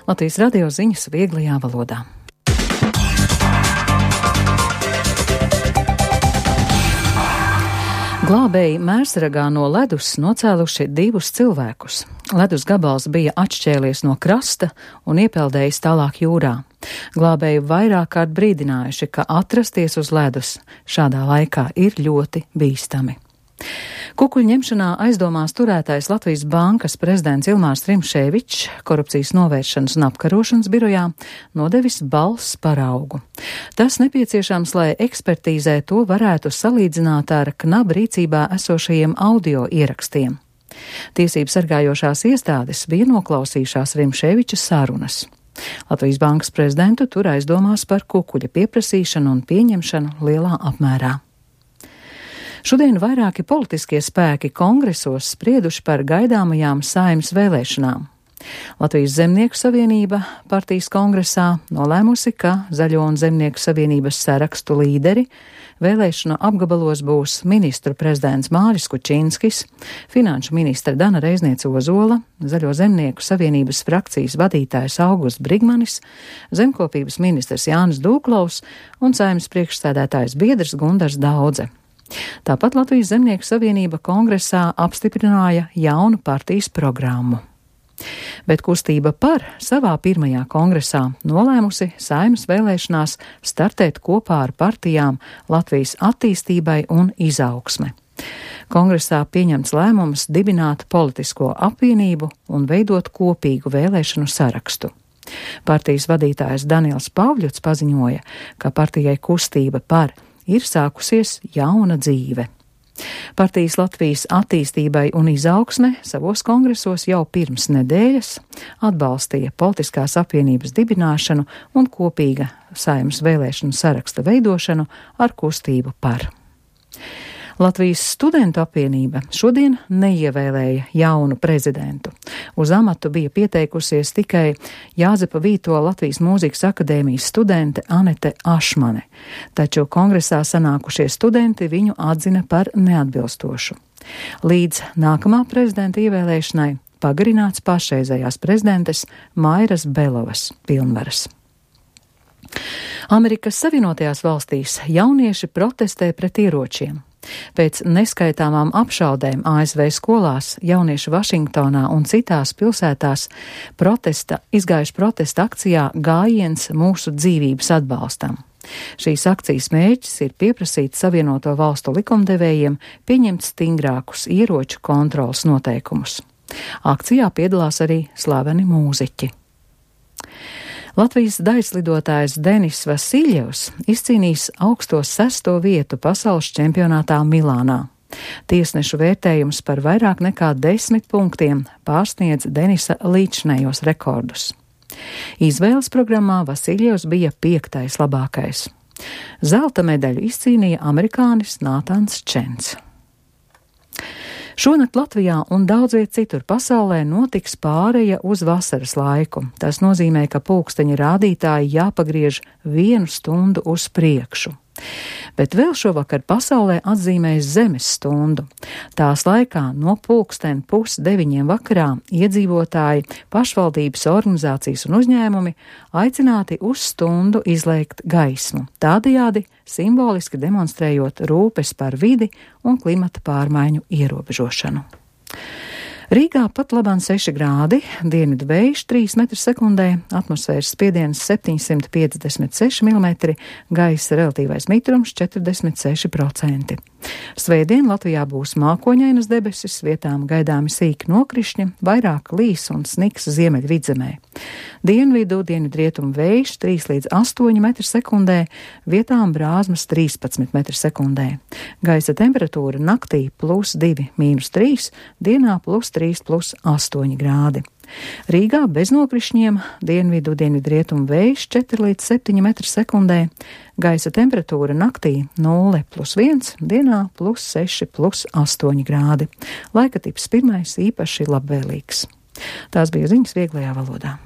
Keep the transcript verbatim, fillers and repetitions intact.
Latvijas radio ziņas vieglajā valodā. Glābēji Mērsragā no ledus nocēluši divus cilvēkus. Ledus gabals bija atšķēlies no krasta un iepeldējis tālāk jūrā. Glābēji vairāk kārt brīdinājuši, ka atrasties uz ledus šādā laikā ir ļoti bīstami. Kukuļu ņemšanā aizdomās turētais Latvijas bankas prezidents Ilmārs Rimšēvičs korupcijas novēršanas un apkarošanas birojā nodevis balss paraugu. Tas nepieciešams, lai ekspertīzē to varētu salīdzināt ar knaba rīcībā esošajiem audio ierakstiem. Tiesību sargājošās iestādes bija noklausījušās Rimšēviča sarunas. Latvijas bankas prezidentu tur aizdomās par kukuļa pieprasīšanu un pieņemšanu lielā apmērā. Šodien vairāki politiskie spēki kongresos sprieduši par gaidāmajām Saeimas vēlēšanām. Latvijas Zemnieku savienība partijas kongresā nolēmusi, ka Zaļo un Zemnieku savienības sarakstu līderi vēlēšanu apgabalos būs ministru prezidents Māris Kučinskis, finanšu ministra Dana Reizniece Ozola, Zaļo Zemnieku savienības frakcijas vadītājs Augusts Brigmanis, zemkopības ministrs Jānis Dūklaus un Saeimas priekšsēdētājs biedrs Gundars Daudze. Tāpat Latvijas Zemnieku savienība kongresā apstiprināja jaunu partijas programmu. Bet kustība par savā pirmajā kongresā nolēmusi Saeimas vēlēšanās startēt kopā ar partijām Latvijas attīstībai un izaugsme. Kongresā pieņemts lēmums dibināt politisko apvienību un veidot kopīgu vēlēšanu sarakstu. Partijas vadītājs Daniels Pavļuts paziņoja, ka partijai kustība par ir sākusies jauna dzīve. Partijas Latvijas attīstībai un izaugsme savos kongresos jau pirms nedēļas atbalstīja politiskās apvienības dibināšanu un kopīga Saeimas vēlēšanu saraksta veidošanu ar kustību par. Latvijas studentu apvienība šodien neievēlēja jaunu prezidentu. Uz amatu bija pieteikusies tikai Jāzepa Vīto Latvijas mūzikas akadēmijas studente Anete Ašmane, taču kongresā sanākušie studenti viņu atzina par neatbilstošu. Līdz nākamā prezidenta ievēlēšanai pagarināts pašreizējās prezidentes Mairas Belovas pilnvaras. Amerikas Savienotajās valstīs jaunieši protestē pret ieročiem. Pēc neskaitāmām apšaudēm A S V skolās jaunieši Vašingtonā un citās pilsētās protesta, izgājuši protesta akcijā Gājiens mūsu dzīvības atbalstam. Šīs akcijas mērķis ir pieprasīt Savienoto valstu likumdevējiem pieņemt stingrākus ieroču kontrolas noteikumus. Akcijā piedalās arī slaveni mūziķi. Latvijas daiļslidotājs Denis Vasiljevs izcīnījis augsto sesto vietu pasaules čempionātā Milānā. Tiesnešu vērtējums par vairāk nekā desmit punktiem pārsniedz Denisa līdzinējos rekordus. Izvēles programmā Vasiljevs bija piektais labākais. Zelta medaļu izcīnīja amerikānis Nātans Čens. Šonakt Latvijā un daudz viet citur pasaulē notiks pāreja uz vasaras laiku. Tas nozīmē, ka pulksteņa rādītāji jāpagriež vienu stundu uz priekšu. Bet vēl šovakar pasaulē atzīmēs zemes stundu. Tās laikā no pulksten pus deviņiem vakarā iedzīvotāji, pašvaldības organizācijas un uzņēmumi aicināti uz stundu izlēkt gaismu, tādējādi simboliski demonstrējot rūpes par vidi un klimata pārmaiņu ierobežošanu. Rīgā pat labāk seši grādi, dienvidu vējš trīs metri sekundē, atmosfēras spiediens septiņsimt piecdesmit seši milimetri, gaisa relatīvais mitrums četrdesmit seši procenti. Svētdien Latvijā būs mākoņainas debesis, vietām gaidāmi sīki nokrišņi, vairāk līs un sniks ziemeļvidzemē. Dienvidu, dienvidrietumu vējš trīs līdz astoņi metri sekundē, vietām brāzmas trīspadsmit metri sekundē. Gaisa temperatūra naktī plus divi mīnus trīs, dienā plus trīs plus astoņi grādi. Rīgā bez nokrišņiem, dienvidu, dienvidrietumu vējš četri līdz septiņi metri sekundē, gaisa temperatūra naktī nulle plus viens, dienā plus seši plus astoņi grādi. Laika tips pirmais īpaši labvēlīgs. Tās bija ziņas vieglajā valodā.